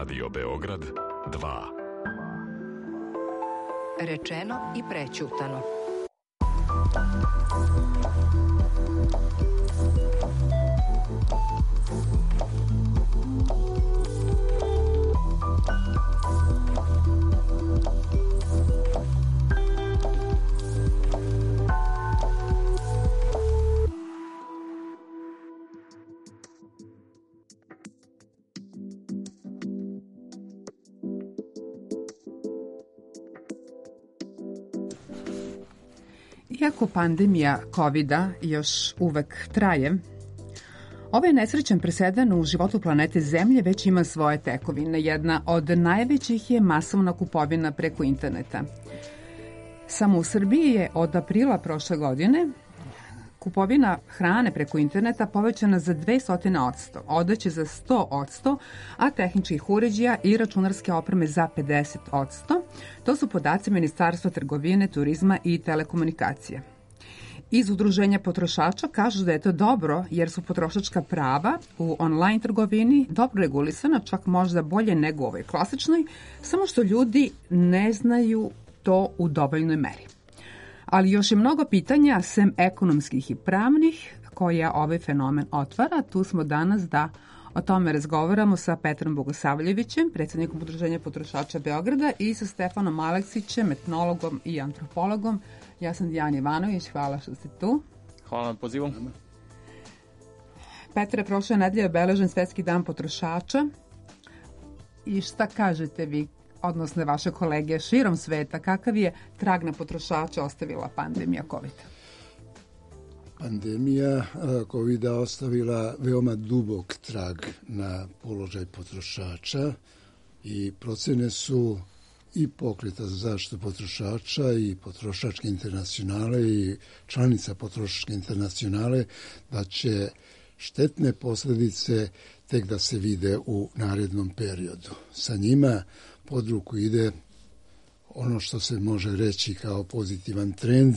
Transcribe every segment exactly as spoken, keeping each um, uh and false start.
Radio Beograd dva. Rečeno i prećutano. Iako pandemija kovida još uvek traje, ovaj nesrećan presedan u životu planete Zemlje već ima svoje tekovine. Jedna od najvećih je masovna kupovina preko interneta. Samo u Srbiji je od aprila prošle godine kupovina hrane preko interneta povećana za dvesta posto, odeće za sto posto, a tehničkih uređaja i računarske opreme za pedeset posto. To su podaci Ministarstva trgovine, turizma i telekomunikacije. Iz Udruženja potrošača kažu da je to dobro jer su potrošačka prava u online trgovini dobro regulisana, čak možda bolje nego u ovoj klasičnoj, samo što ljudi ne znaju to u dovoljnoj meri. Ali još je mnogo pitanja, sem ekonomskih i pravnih, koja ovaj fenomen otvara. Tu smo danas da o tome razgovaramo sa Petrom Bogosavljevićem, predsjednikom Udruženja potrošača Beograda, i sa Stefanom Aleksićem, etnologom i antropologom. Ja sam Dijana Ivanović, hvala što ste tu. Hvala na pozivu. Petre, prošle nedelje je obeležen Svetski dan potrošača. I šta kažete vi, odnosno vaše kolege širom sveta, kakav je trag na potrošača ostavila pandemija kovida? Pandemija kovida ostavila veoma dubok trag na položaj potrošača i procene su i Pokreta za zaštitu potrošača i Potrošačke internacionale i članica Potrošačke internacionale da će štetne posljedice tek da se vide u narednom periodu. Sa njima pod ruku ide ono što se može reći kao pozitivan trend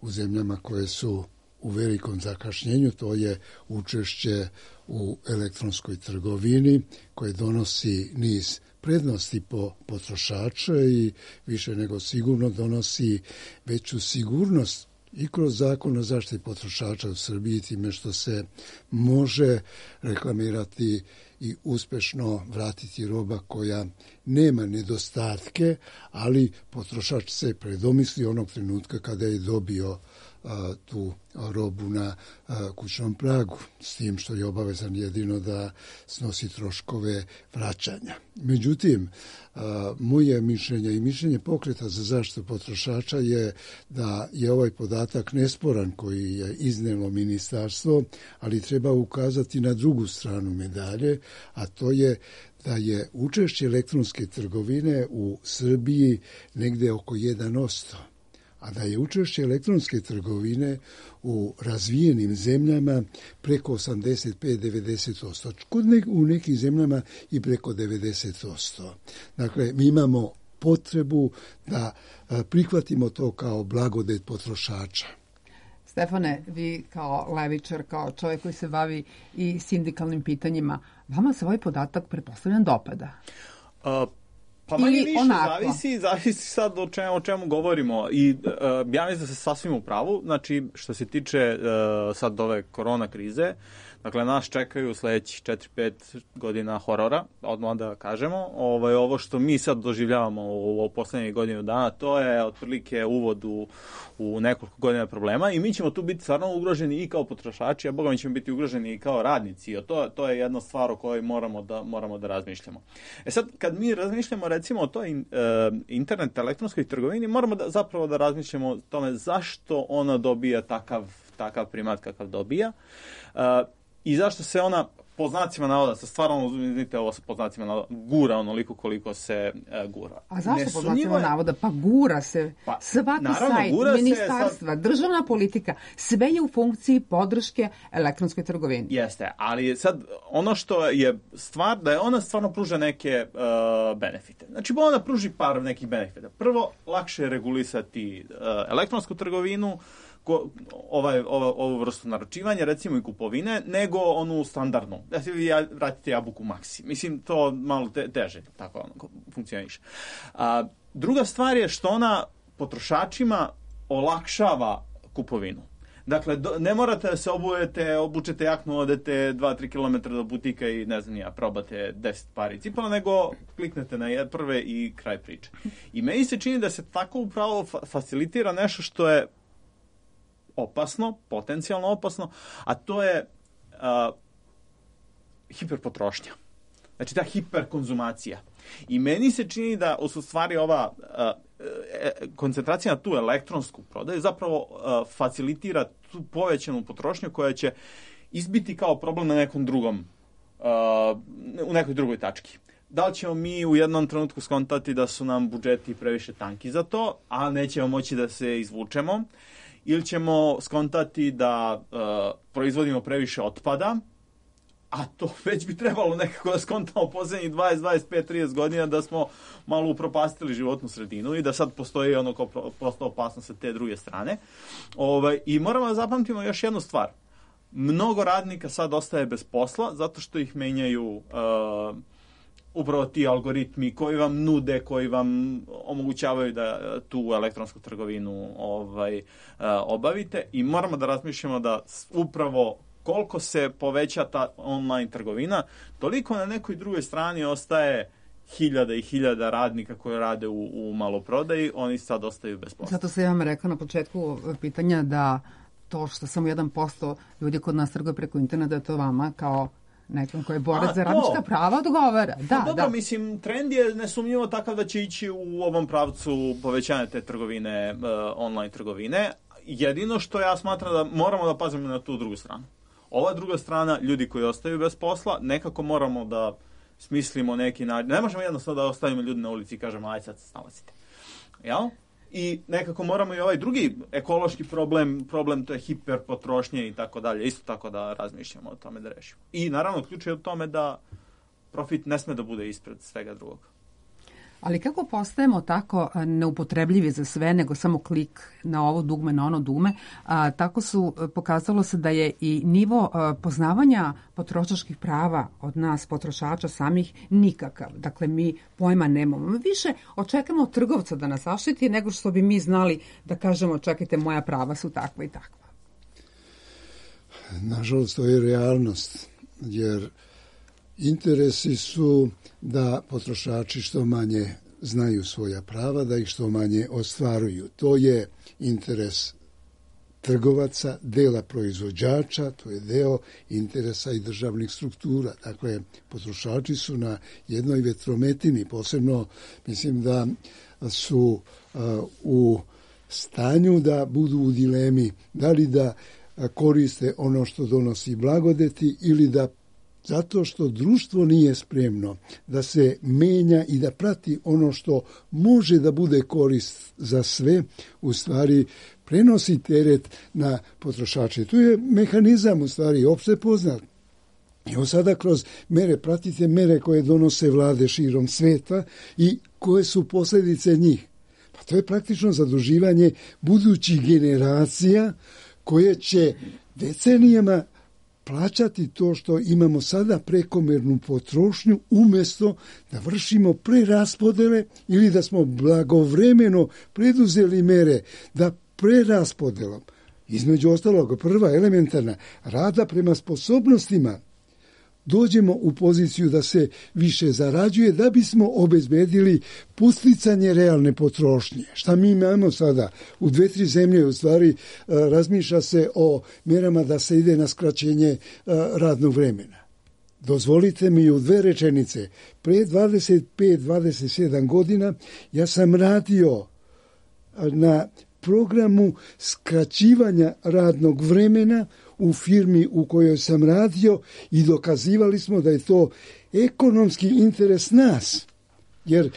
u zemljama koje su u velikom zakašnjenju, to je učešće u elektronskoj trgovini koje donosi niz prednosti po potrošača i više nego sigurno donosi veću sigurnost i kroz zakon o zaštiti potrošača u Srbiji, time što se može reklamirati i uspešno vratiti roba koja nema nedostatke, ali potrošač se predomisli onog trenutka kada je dobio a, tu robu na a, kućnom pragu, s tim što je obavezan jedino da snosi troškove vraćanja. Međutim, a, moje mišljenje i mišljenje Pokreta za zaštitu potrošača je da je ovaj podatak nesporan koji je iznelo ministarstvo, ali treba ukazati na drugu stranu medalje, a to je da je učešće elektronske trgovine u Srbiji negde oko jedan posto, a da je učešće elektronske trgovine u razvijenim zemljama preko osamdeset pet do devedeset posto, u nekim zemljama i preko devedeset posto. Dakle, mi imamo potrebu da prihvatimo to kao blagodet potrošača. Stefane, vi kao levičar, kao čovjek koji se bavi i sindikalnim pitanjima, vama se ovaj podatak pretpostavljam dopada? Uh, pa manje više, zavisi, zavisi sad o čemu, o čemu govorimo. I uh, ja mislim da se sasvim u pravu. Znači, što se tiče uh, sad ove korona krize, dakle, nas čekaju sledećih četiri pet godina horora, odmah da kažemo. Ovo, ovo što mi sad doživljavamo u, u poslednjih godinu dana, to je otprilike uvod u, u nekoliko godina problema i mi ćemo tu biti stvarno ugroženi i kao potrošači, a boga mi ćemo biti ugroženi i kao radnici. I to, to je jedna stvar o kojoj moramo da, moramo da razmišljamo. E sad, kad mi razmišljamo recimo o toj in, uh, internet elektronskoj trgovini, moramo da, zapravo da razmišljamo o tome zašto ona dobija takav, takav primat kakav dobija. Uh, I zašto se ona, po znacima navoda, sa stvarno, uzmite ovo sa po znacima navoda, gura onoliko koliko se uh, gura. A zašto po znacima navoda? Pa gura se. Pa, svaki naravno, sajt, ministarstva, sad, državna politika, sve je u funkciji podrške elektronskoj trgovini. Jeste, ali sad ono što je stvar, da je ona stvarno pruža neke uh, benefite. Znači, ona pruži par nekih benefita. Prvo, lakše je regulisati uh, elektronsku trgovinu, ko, ovaj, ovaj, ovu vrstu naručivanja, recimo i kupovine, nego onu standardnu. Da se vi vratite jabuku Maxi. Mislim, to malo te, teže tako ono, funkcioniše. A, druga stvar je što ona potrošačima olakšava kupovinu. Dakle, do, ne morate da se obujete, obučete jaknu, odete dva do tri kilometra do butika i ne znam ja, probate deset pari cipala, nego kliknete na prve i kraj priče. I meni se čini da se tako upravo fa- facilitira nešto što je opasno, potencijalno opasno, a to je uh, hiperpotrošnja. Znači ta hiperkonzumacija. I meni se čini da u stvari ova uh, koncentracija na tu elektronsku prodaju zapravo uh, facilitira tu povećanu potrošnju koja će izbiti kao problem na nekom drugom, uh, u nekoj drugoj tački. Da li ćemo mi u jednom trenutku skontati da su nam budžeti previše tanki za to, a nećemo moći da se izvučemo, ili ćemo skontati da uh, proizvodimo previše otpada, a to već bi trebalo nekako da skontamo poslednjih dvadeset, dvadeset pet, trideset godina da smo malo upropastili životnu sredinu i da sad postoji ono kao prosto opasnost sa te druge strane. Ovaj, I moramo da zapamtimo još jednu stvar. Mnogo radnika sad ostaje bez posla zato što ih menjaju uh, upravo ti algoritmi koji vam nude, koji vam omogućavaju da tu elektronsku trgovinu ovaj, uh, obavite i moramo da razmišljamo da upravo koliko se poveća ta online trgovina, toliko na nekoj drugoj strani ostaje hiljada i hiljada radnika koji rade u, u maloprodaji, oni sad ostaju bez posla. Zato sam ja vam rekla na početku pitanja da to što samo jedan posto ljudi kod nas trguje preko interneta, to vama kao nekom koji je borac za radnička prava odgovara. Da, pa dobro, da. Mislim, trend je nesumnjivo takav da će ići u ovom pravcu povećanja te trgovine, uh, online trgovine. Jedino što ja smatram da moramo da pazimo na tu drugu stranu. Ova druga strana, ljudi koji ostaju bez posla, nekako moramo da smislimo neki način. Ne možemo jednostavno da ostavimo ljudi na ulici i kažemo, aj sad se snalazite. Jel? I nekako moramo i ovaj drugi ekološki problem, problem to je hiperpotrošnje i tako dalje, isto tako da razmišljamo o tome da rešimo. I naravno, ključ je u tome da profit ne sme da bude ispred svega drugog. Ali kako postajemo tako neupotrebljivi za sve, nego samo klik na ovo dugme, na ono dugme, a, tako su pokazalo se da je i nivo a, poznavanja potrošačkih prava od nas, potrošača samih, nikakav. Dakle, mi pojma nemamo. Mi više očekamo od trgovca da nas zaštiti nego što bi mi znali da kažemo, čekajte, moja prava su takva i takva. Nažalost, to je realnost, jer interesi su da potrošači što manje znaju svoja prava, da ih što manje ostvaruju. To je interes trgovaca, dela proizvođača, to je deo interesa i državnih struktura. Dakle, potrošači su na jednoj vetrometini, posebno mislim da su uh, u stanju da budu u dilemi da li da koriste ono što donosi blagodeti ili da zato što društvo nije spremno da se menja i da prati ono što može da bude korist za sve, u stvari prenosi teret na potrošače. Tu je mehanizam u stvari opšte poznat. Evo sada kroz mere, pratite mere koje donose vlade širom sveta i koje su posljedice njih. Pa to je praktično zaduživanje budućih generacija koje će decenijama plaćati to što imamo sada prekomernu potrošnju umjesto da vršimo preraspodele ili da smo blagovremeno preduzeli mere da preraspodelom, između ostalog prva elementarna, rada prema sposobnostima, dođemo u poziciju da se više zarađuje da bismo obezbedili posticanje realne potrošnje. Šta mi imamo sada? U dve, tri zemlje u stvari razmišlja se o merama da se ide na skraćenje radnog vremena. Dozvolite mi u dve rečenice. Pre dvadeset pet dvadeset sedam godina ja sam radio na programu skraćivanja radnog vremena u firmi u kojoj sam radio i dokazivali smo da je to ekonomski interes nas, jer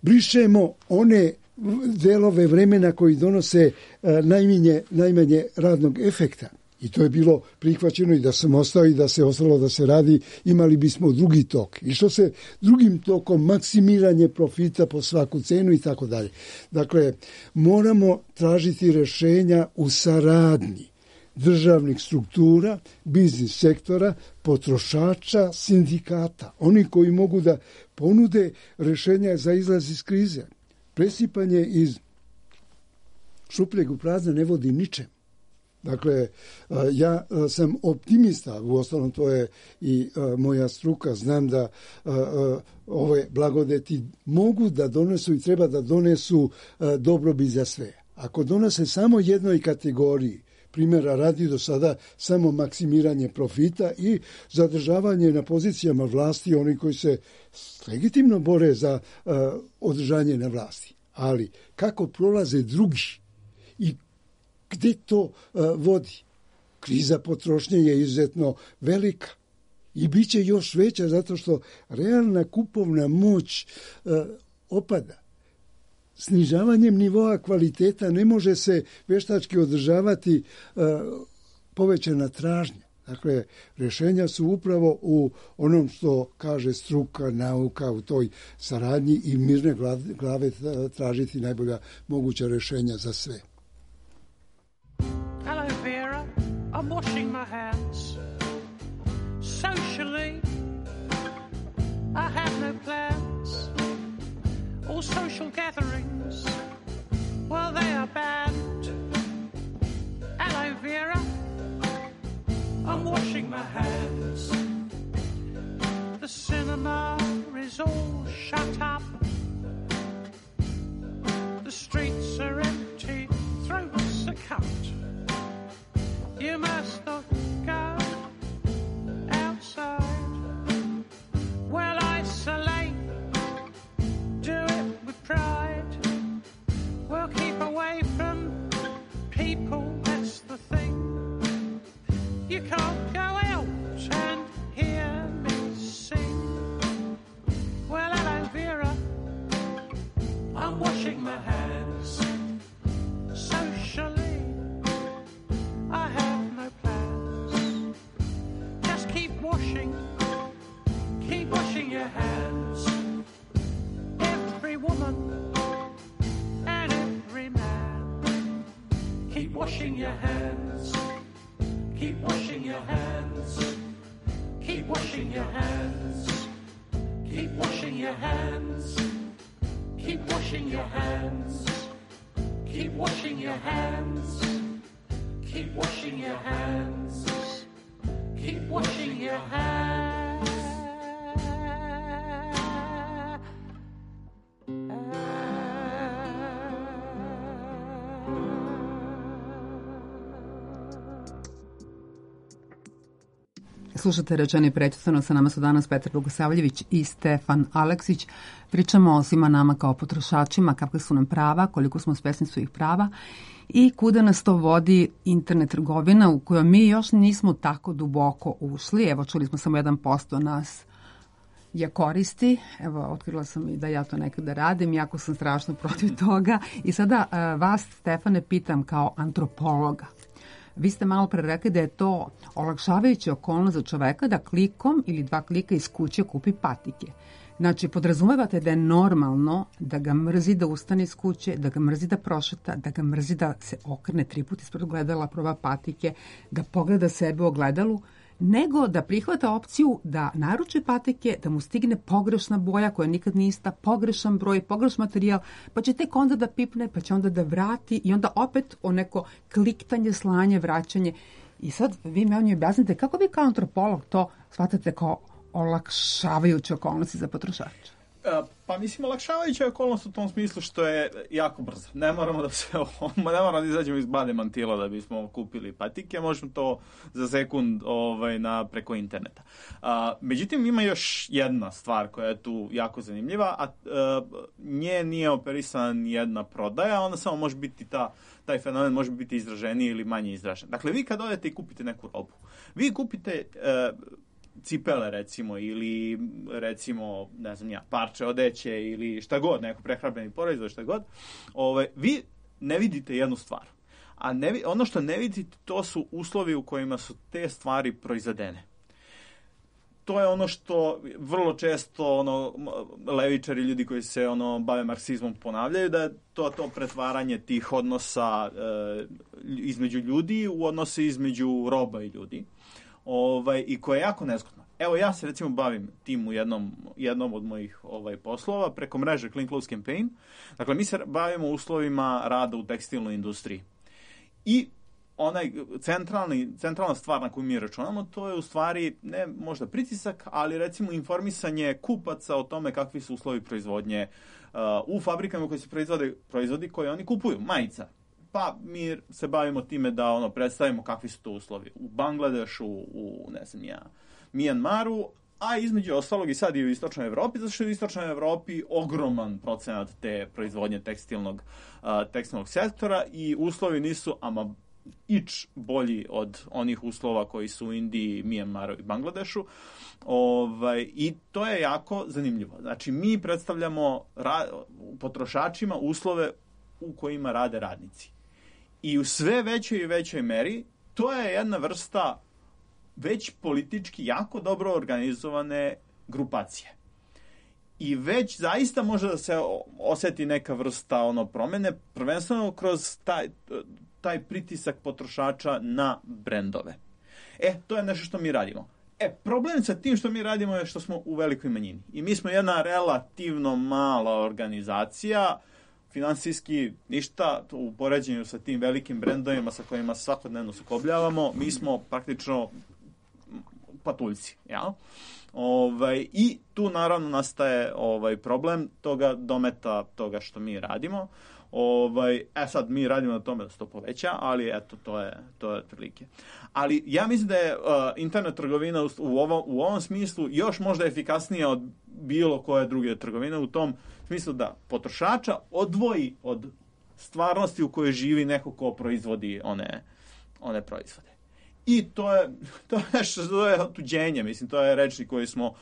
brišemo one delove vremena koji donose najmanje, najmanje radnog efekta. I to je bilo prihvaćeno i da sam ostao i da se ostalo da se radi, imali bismo drugi tok. I što se drugim tokom, maksimiranje profita po svaku cenu i tako dalje. Dakle, moramo tražiti rešenja u saradnji državnih struktura, biznis sektora, potrošača, sindikata. Oni koji mogu da ponude rešenja za izlaz iz krize. Presipanje iz šupljeg u prazno ne vodi ničem. Dakle, ja sam optimista, uostalom to je i moja struka, znam da ove blagodeti mogu da donesu i treba da donesu dobrobit za sve. Ako donose samo jednoj kategoriji, primjera radi do sada samo maksimiranje profita i zadržavanje na pozicijama vlasti, oni koji se legitimno bore za održanje na vlasti. Ali kako prolaze drugi i gde to uh, vodi? Kriza potrošnje je izuzetno velika i bit će još veća zato što realna kupovna moć uh, opada. Snižavanjem nivoa kvaliteta ne može se veštački održavati uh, povećana tražnja. Dakle, rješenja su upravo u onom što kaže struka, nauka, u toj saradnji i mirne glave tražiti najbolja moguća rješenja za sve. Hello, Vera. I'm washing my hands. Socially, I have no plans. All social gatherings, well, they are banned. Hello, Vera. I'm washing my hands. The cinema is all shut up. The streets are empty, throats are cut. You must not go outside. Well, isolate, do it with pride. Well, keep away from people, that's the thing. You can't go out and hear me sing. Well, hello, Vera, I'm washing my hands. Socially, I have no plans. Just keep washing, keep washing your hands. Every woman and every man, keep washing your hands. Keep washing your hands. Keep washing your hands. Keep washing your hands. Keep washing your hands. Keep washing your hands. Keep washing your hands. Keep washing your hands. Slušate Rečeno i prećutano, sa nama su danas Petar Bogosavljević i Stefan Aleksić. Pričamo o svima nama kao potrošačima, kakve su nam prava, koliko smo svesni svojih prava i kuda nas to vodi internet trgovina u kojoj mi još nismo tako duboko ušli. Evo, čuli smo samo jedan posto nas je koristi. Evo, otkrila sam i da ja to nekada radim, jako sam strašno protiv toga. I sada vas, Stefane, pitam kao antropologa. Vi ste malo pre rekli da je to olakšavajuća okolnost za čoveka da klikom ili dva klika iz kuće kupi patike. Znači, podrazumevate da je normalno da ga mrzi da ustane iz kuće, da ga mrzi da prošeta, da ga mrzi da se okrene tri puta ispred ogledala, proba patike, da pogleda sebe u ogledalu, nego da prihvata opciju da naruči patike, da mu stigne pogrešna boja koja nikad nije ista, pogrešan broj, pogrešan materijal, pa će tek onda da pipne, pa će onda da vrati i onda opet o neko kliktanje, slanje, vraćanje. I sad vi me on je objasnite kako vi kao antropolog to shvatate kao olakšavajuće okolnosti za potrošača. Pa mislim, olakšavajuća okolnost u tom smislu što je jako brzo. Ne moramo da se ne moramo da izađemo iz bade mantila da bismo kupili patike, možemo to za sekund ovaj, na, preko interneta. A, međutim, ima još jedna stvar koja je tu jako zanimljiva, a, a nje nije operisana nijedna prodaja, onda samo može biti ta, taj fenomen može biti izraženiji ili manje izražen. Dakle, vi kad odete i kupite neku robu, vi kupite a, cipele recimo ili recimo ne znam ja parče odeće ili šta god, neko prehrambeni proizvod, šta god, ovaj, vi ne vidite jednu stvar, A ne, ono što ne vidite, to su uslovi u kojima su te stvari proizvedene. To je ono što vrlo često ono levičari, ljudi koji se ono bave marksizmom ponavljaju, da je to to pretvaranje tih odnosa e, između ljudi u odnose između roba i ljudi. Ovaj, i koje je jako nezgodno. Evo, ja se recimo bavim tim u jednom, jednom od mojih ovaj, poslova preko mreže Clean Clothes Campaign. Dakle, mi se bavimo uslovima rada u tekstilnoj industriji. I onaj centralni, centralna stvar na koju mi računamo, to je u stvari ne možda pritisak, ali recimo informisanje kupaca o tome kakvi su uslovi proizvodnje uh, u fabrikama koje se proizvode proizvodi koje oni kupuju, majica. Pa mi se bavimo time da ono predstavimo kakvi su to uslovi u Bangladešu, u ne znam ja, Mijanmaru, a između ostalog i sad i u istočnoj Evropi, zato što je u istočnoj Evropi ogroman procenat te proizvodnje tekstilnog, uh, tekstilnog sektora i uslovi nisu ama ič bolji od onih uslova koji su u Indiji, Mijanmaru i Bangladešu. Ovaj, i to je jako zanimljivo. Znači, mi predstavljamo ra- potrošačima uslove u kojima rade radnici. I u sve većoj i većoj meri to je jedna vrsta već politički jako dobro organizovane grupacije. I već zaista može da se oseti neka vrsta ono promene, prvenstveno kroz taj, taj pritisak potrošača na brendove. E, to je nešto što mi radimo. E, problem sa tim što mi radimo je što smo u velikoj manjini. I mi smo jedna relativno mala organizacija, finansijski ništa u poređenju sa tim velikim brendovima sa kojima svakodnevno sukobljavamo, mi smo praktično patuljci, jel? Ovaj, i tu naravno nastaje ovaj problem toga dometa toga što mi radimo. Ovaj, e sad mi radimo na tome da se to poveća, ali eto to je to je otprilike. Ali ja mislim da je uh, internet trgovina u, u, ovom, u ovom smislu još možda efikasnija od bilo koje druge trgovine u tom smislu da potrošača odvoji od stvarnosti u kojoj živi neko ko proizvodi one, one proizvode. I to je, to je nešto, to je otuđenje, mislim, to je rečnik koji smo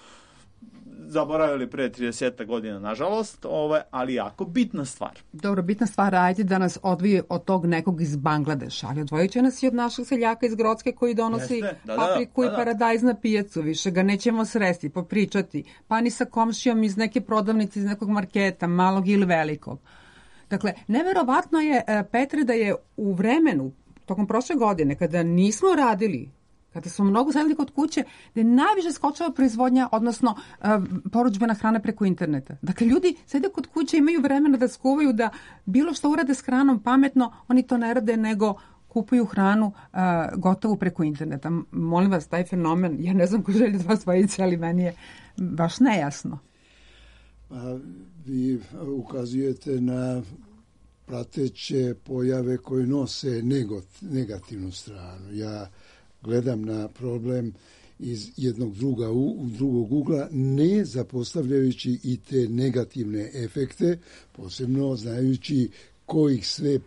zaboravili pre trideset godina, nažalost, ovaj, ali jako bitna stvar. Dobro, bitna stvar, ajde da nas odvije od tog nekog iz Bangladeša, ali odvojit će nas i od našeg seljaka iz Grocke koji donosi da, da, papriku da, da, da. i paradajz na pijacu, više ga nećemo sresti, popričati, pa ni sa komšijom iz neke prodavnice, iz nekog marketa, malog ili velikog. Dakle, neverovatno je, Petre, da je u vremenu, tokom prošle godine, kada nismo radili, kada smo mnogo sedeli kod kuće, da je najviše skočila proizvodnja, odnosno uh, poručbena hrana preko interneta. Dakle, ljudi sede kod kuće, imaju vremena da skuvaju, da bilo što urade s hranom pametno, oni to ne rade, nego kupuju hranu uh, gotovu preko interneta. Molim vas, taj fenomen, ja ne znam ko želi da vas vojice, ali meni je baš nejasno. Pa, vi ukazujete na prateće pojave koje nose negativnu stranu. Ja gledam na problem iz jednog druga, drugog ugla, ne zapostavljajući i te negativne efekte, posebno znajući ko ih sve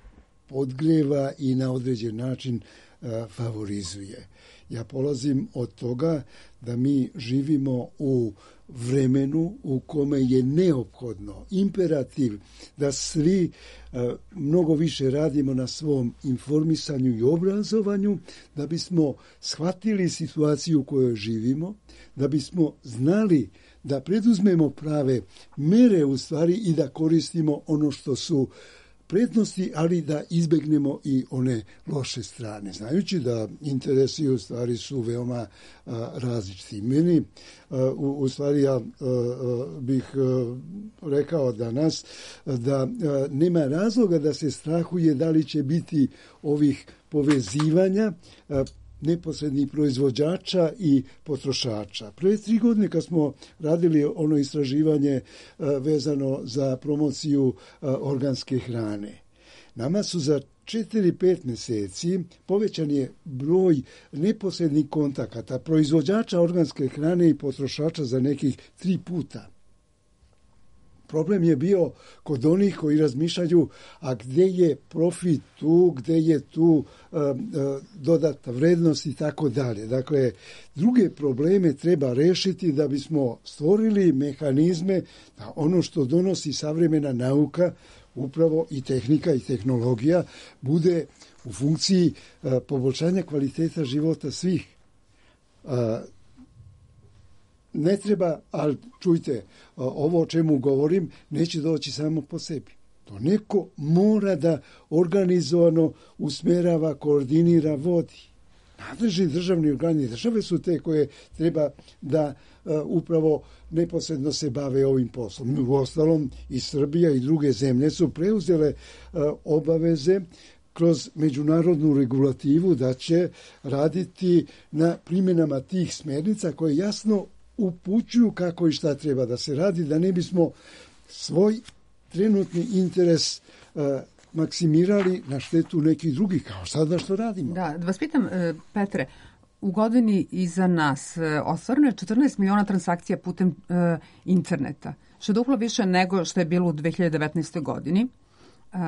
podgreva i na određen način a, favorizuje. Ja polazim od toga da mi živimo u vremenu u kome je neophodno, imperativ da svi a, mnogo više radimo na svom informisanju i obrazovanju, da bismo shvatili situaciju u kojoj živimo, da bismo znali da preduzmemo prave mere u stvari i da koristimo ono što su prednosti, ali da izbegnemo i one loše strane. Znajući da interesi u stvari su veoma a, različiti. Meni a, u, u stvari ja a, a, bih a, rekao danas da a, nema razloga da se strahuje da li će biti ovih povezivanja a, neposrednih proizvođača i potrošača. Pre tri godine kad smo radili ono istraživanje a, vezano za promociju a, organske hrane, nama su za četiri pet mjeseci povećan je broj neposrednih kontakata proizvođača organske hrane i potrošača za nekih tri puta. Problem je bio kod onih koji razmišljaju, a gdje je profit tu, gdje je tu uh, uh, dodata vrednost i tako dalje. Dakle, druge probleme treba rešiti da bismo stvorili mehanizme da ono što donosi savremena nauka upravo i tehnika i tehnologija bude u funkciji a, poboljšanja kvaliteta života svih. A, ne treba, ali čujte, ovo o čemu govorim neće doći samo po sebi. To neko mora da organizovano usmerava, koordinira, vodi. Nadležni državni organi države su te koje treba da uh, upravo neposredno se bave ovim poslom. U ostalom i Srbija i druge zemlje su preuzele uh, obaveze kroz međunarodnu regulativu da će raditi na primjenama tih smernica koje jasno upućuju kako i šta treba da se radi, da ne bismo svoj trenutni interes uh, maksimirali na štetu nekih drugih, kao sada što radimo. Da, da vas pitam, Petre, u godini iza nas ostvareno je četrnaest miliona transakcija putem uh, interneta, što je duplo više nego što je bilo u dve hiljade devetnaestoj. godini. Uh,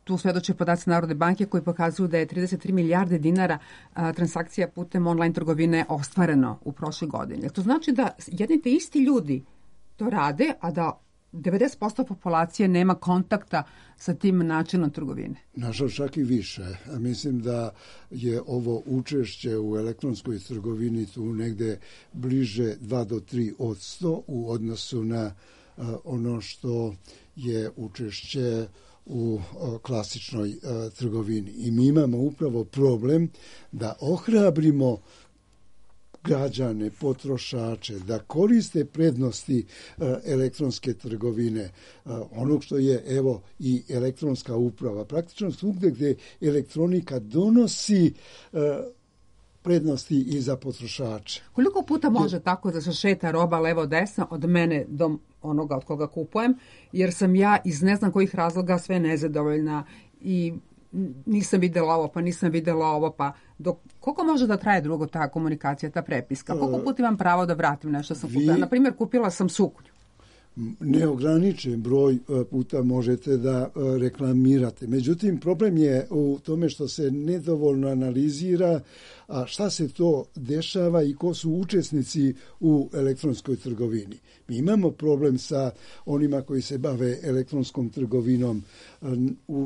tu svedoče podaci Narodne banke koji pokazuju da je trideset tri milijarde dinara uh, transakcija putem online trgovine ostvareno u prošloj godini. To znači da jedni te isti ljudi to rade, a da devedeset posto populacije nema kontakta sa tim načinom trgovine. Nažalost, čak i više. Mislim da je ovo učešće u elektronskoj trgovini tu negde bliže dva do tri odsto u odnosu na uh, ono što je učešće u uh, klasičnoj uh, trgovini. I mi imamo upravo problem da ohrabrimo građane, potrošače, da koriste prednosti uh, elektronske trgovine, uh, onog što je, evo, i elektronska uprava. Praktično svugde gde elektronika donosi uh, prednosti i za potrošače. Koliko puta može je, tako da se šeta roba levo-desno od mene do onoga od koga kupujem, jer sam ja iz ne znam kojih razloga sve nezadovoljna i nisam videla ovo, pa nisam videla ovo, pa dok, koliko može da traje drugo ta komunikacija, ta prepiska? Koliko puta imam pravo da vratim nešto sam kupila? Na primjer, kupila sam suknju. Neograničen broj puta možete da reklamirate. Međutim, problem je u tome što se nedovoljno analizira a šta se to dešava i ko su učesnici u elektronskoj trgovini. Mi imamo problem sa onima koji se bave elektronskom trgovinom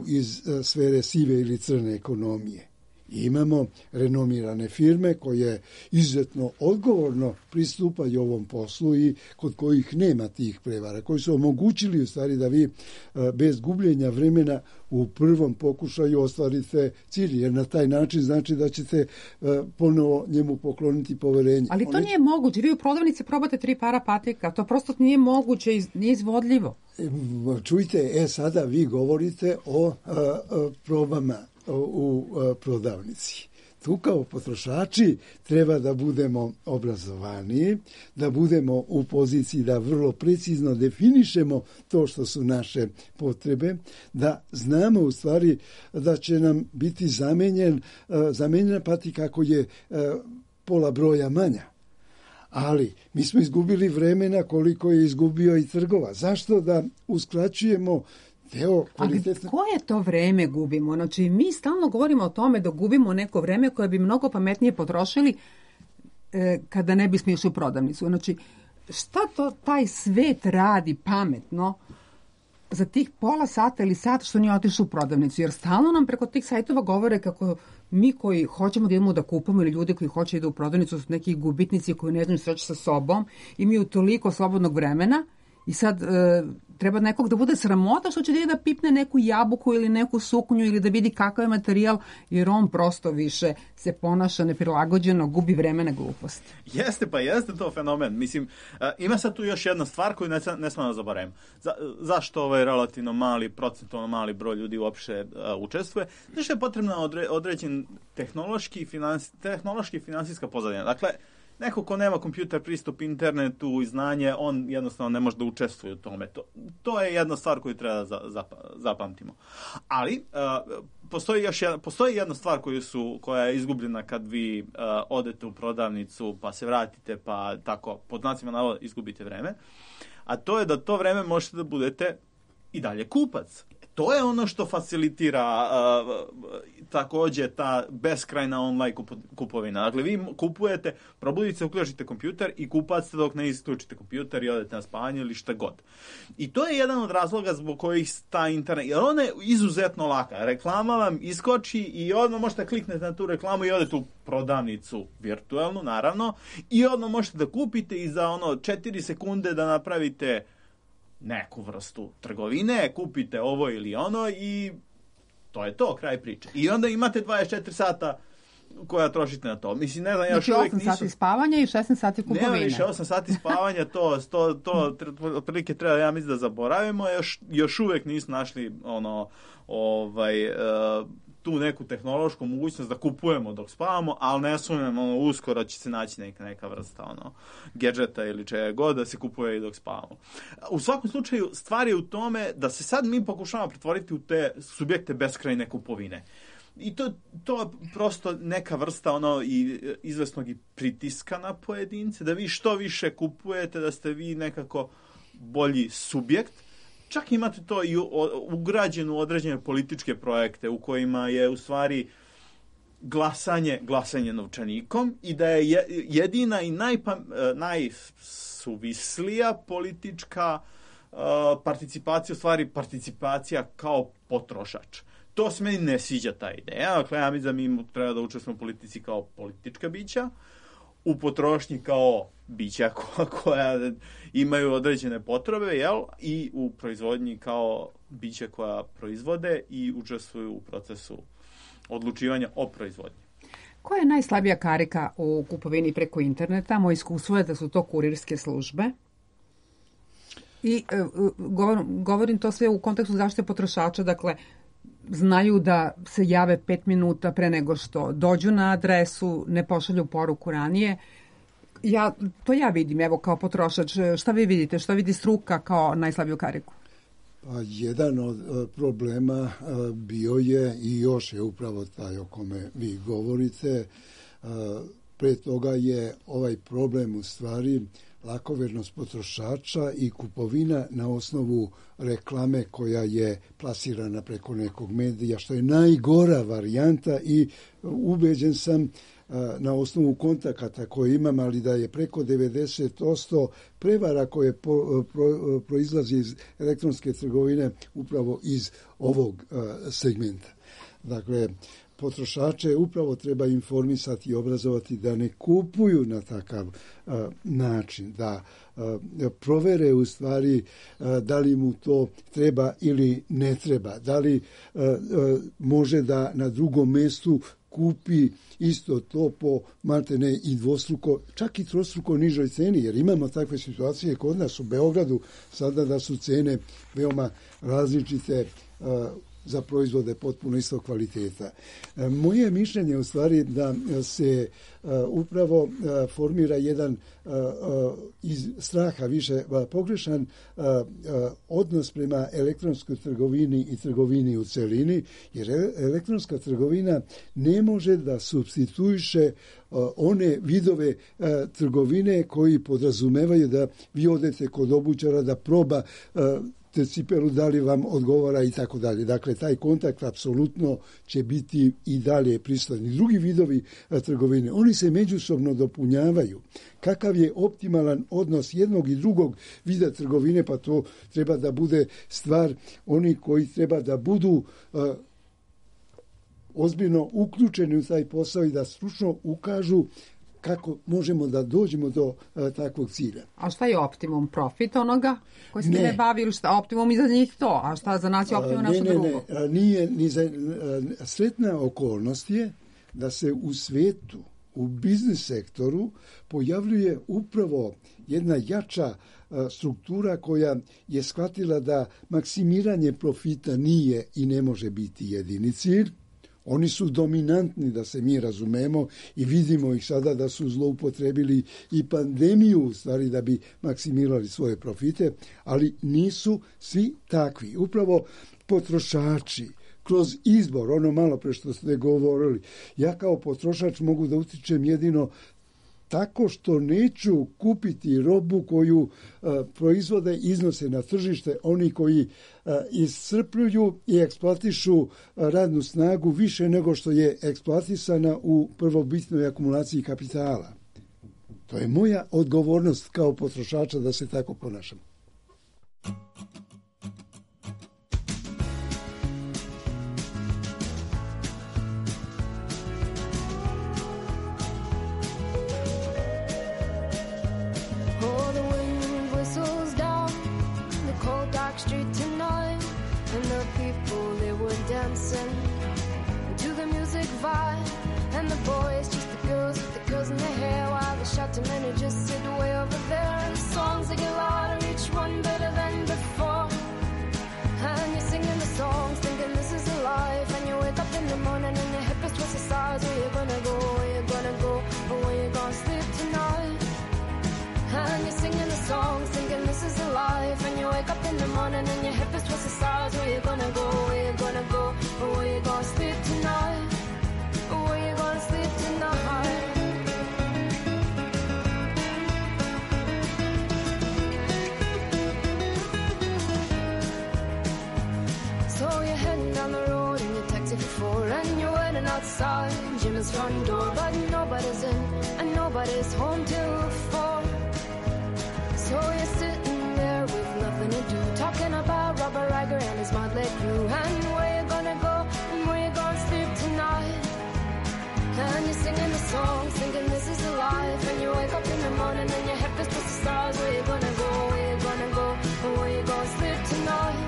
iz sfere sive ili crne ekonomije. Imamo renomirane firme koje izuzetno odgovorno pristupaju ovom poslu i kod kojih nema tih prevara, koji su omogućili u stvari da vi bez gubljenja vremena u prvom pokušaju ostvarite cilj, jer na taj način znači da ćete ponovo njemu pokloniti poverenje. Ali to Oni... nije moguće. Vi u prodavnici probate tri para patika. To prosto nije moguće, nije izvodljivo. Čujte, e sada vi govorite o a, a, probama u prodavnici. Tu kao potrošači treba da budemo obrazovaniji, da budemo u poziciji da vrlo precizno definišemo to što su naše potrebe, da znamo u stvari da će nam biti zamenjen, zamenjena patika ako je pola broja manja. Ali mi smo izgubili vremena koliko je izgubio i trgova. Zašto da uskraćujemo Evo, kvalitetno... Ali koje to vreme gubimo? Znači, mi stalno govorimo o tome da gubimo neko vreme koje bi mnogo pametnije potrošili e, kada ne bismo išli u prodavnicu. Znači, šta to taj svet radi pametno za tih pola sata ili sat što nije otišao u prodavnicu? Jer stalno nam preko tih sajtova govore kako mi koji hoćemo da idemo da kupamo ili ljudi koji hoće da idu u prodavnicu su neki gubitnici koji ne znaju što će sa sobom, imaju toliko slobodnog vremena i sad e, treba nekog da bude sramota što će da pipne neku jabuku ili neku suknju ili da vidi kakav je materijal, jer on prosto više se ponaša neprilagođeno, gubi vremena, glupost. Jeste, pa jeste to fenomen. Mislim, ima sad tu još jedna stvar koju ne, ne smemo da zaboravimo. Za, zašto ovaj relativno mali, procentualno mali broj ljudi uopšte uh, učestvuje? Zašto je potrebna odre, određen tehnološki, finans, tehnološki finansijska pozadina? Dakle, neko ko nema kompjuter, pristup internetu i znanje, on jednostavno ne može da učestvuje u tome. To, to je jedna stvar koju treba da zapamtimo. Ali, uh, postoji, još jedna, postoji jedna stvar koju su, koja je izgubljena kad vi uh, odete u prodavnicu, pa se vratite, pa tako, pod znacima navoda, izgubite vreme. A to je da to vreme možete da budete i dalje kupac. to je ono što facilitira uh, takođe ta beskrajna online kupovina. Dakle, vi kupujete, probudite se, uključite kompjuter i kupate dok ne isključite kompjuter i odete na spavanje ili šta god. I to je jedan od razloga zbog kojih ta internet, jer ona je izuzetno laka. Reklama vam iskoči i odmah možete kliknete na tu reklamu i odete u prodavnicu virtualnu, naravno, i odmah možete da kupite i za ono četiri sekunde da napravite neku vrstu trgovine, kupite ovo ili ono i to je to, kraj priče. I onda imate dvadeset četiri sata koja trošite na to. Mislim, ne znam, ja još uvijek nisu... osam sati spavanja i šesnaest sati kupovine. Nema više osam sati spavanja, to, to, to otprilike treba, ja mislim, da zaboravimo. Još, još uvijek nisu našli ono, ovaj... Uh, tu neku tehnološku mogućnost da kupujemo dok spavamo, ali ne sumnjam, ono, uskoro će se naći neka, neka vrsta ono, gadžeta ili čega god da se kupuje i dok spavamo. U svakom slučaju, stvar je u tome da se sad mi pokušavamo pretvoriti u te subjekte beskrajne kupovine. I to, to je prosto neka vrsta ono, i izvesnog i pritiska na pojedince, da vi što više kupujete, da ste vi nekako bolji subjekt. Čak imate to i ugrađeno u određene političke projekte u kojima je u stvari glasanje, glasanje novčanikom i da je jedina i najpam, najsuvislija politička uh, participacija, u stvari participacija kao potrošač. To se meni ne sviđa ta ideja. Dakle, ja mislim da mi treba da učestvujemo u politici kao politička bića, u potrošnji kao bića koja, koja imaju određene potrebe, jel? I u proizvodnji kao bića koja proizvode i učestvuju u procesu odlučivanja o proizvodnji. Koja je najslabija karika u kupovini preko interneta? Moje iskustvo je da su to kurirske službe. I e, govorim, govorim to sve u kontekstu zaštite potrošača, dakle, znaju da se jave pet minuta pre nego što dođu na adresu, ne pošalju poruku ranije. Ja, to ja vidim, evo, kao potrošač. Šta vi vidite? Šta vidi struka kao najslabiju kariku? Pa, jedan od problema bio je i još je upravo taj o kome vi govorite. Pre toga je ovaj problem u stvari lakovernost potrošača i kupovina na osnovu reklame koja je plasirana preko nekog medija, što je najgora varijanta i ubeđen sam na osnovu kontakata koje imam, ali da je preko devedeset posto prevara koje po, pro, proizlazi iz elektronske trgovine upravo iz ovog segmenta. Dakle, potrošače upravo treba informisati i obrazovati da ne kupuju na takav uh, način, da uh, provere u stvari uh, da li mu to treba ili ne treba, da li uh, uh, može da na drugom mestu kupi isto to po maltene i dvostruko, čak i trostruko nižoj ceni, jer imamo takve situacije kod nas u Beogradu sada da su cene veoma različite uh, za proizvode potpuno istog kvaliteta. Moje mišljenje u stvari da se uh, upravo uh, formira jedan uh, uh, iz straha više uh, pogrešan uh, uh, odnos prema elektronskoj trgovini i trgovini u celini, jer elektronska trgovina ne može da supstituiše uh, one vidove uh, trgovine koji podrazumevaju da vi odete kod obućara da proba uh, te cipelu, da li vam odgovara i tako dalje. Dakle, taj kontakt apsolutno će biti i dalje prisutan. Drugi vidovi a, trgovine, oni se međusobno dopunjavaju. Kakav je optimalan odnos jednog i drugog vida trgovine, pa to treba da bude stvar oni koji treba da budu a, ozbiljno uključeni u taj posao i da stručno ukažu kako možemo da dođemo do a, takvog cilja. A šta je optimum? Profit onoga koji se ne, ne bavi ili šta? Optimum i za njih to? A šta za nas je optimum ne, naša ne, drugo? Ne, ne, nije ni za... A, sretna okolnost je da se u svetu, u biznis sektoru pojavljuje upravo jedna jača a, struktura koja je shvatila da maksimiranje profita nije i ne može biti jedini cilj. Oni su dominantni, da se mi razumemo, i vidimo ih sada da su zloupotrebili i pandemiju u stvari da bi maksimirali svoje profite, ali nisu svi takvi. Upravo potrošači kroz izbor, ono malo pre što ste govorili, ja kao potrošač mogu da utičem jedino tako što neću kupiti robu koju uh, proizvode, iznose na tržište oni koji uh, iscrpljuju i eksploatišu uh, radnu snagu više nego što je eksploatisana u prvobitnoj akumulaciji kapitala. To je moja odgovornost kao potrošača da se tako ponašam. And the boys, just the girls with the girls in their hair, while the shouting men who just sit way over there. And the songs they get louder, each one better than before. And you're singing the songs, thinking this is a life. And you wake up in the morning and your hip is twisted sides. Where you gonna go? Where you gonna go? Or where you gonna sleep tonight? And you're singing the songs, thinking this is a life. And you wake up in the morning and your hip is twisted sides. Where you gonna go? Where you gonna go? Or where you gonna sleep tonight? Where you gonna sleep tonight? So you're heading down the road in your taxi for four, and you're waiting outside Jim's front door, but nobody's in and nobody's home till four. So you're sitting there with nothing to do, talking about Robert Riger and his motley crew, and where you gonna go and where you gonna sleep tonight? And you're singing the songs, thinking this is a life. And you wake up in the morning and your head feels past the stars. Where you gonna go, where you gonna go, and where you gonna sleep tonight?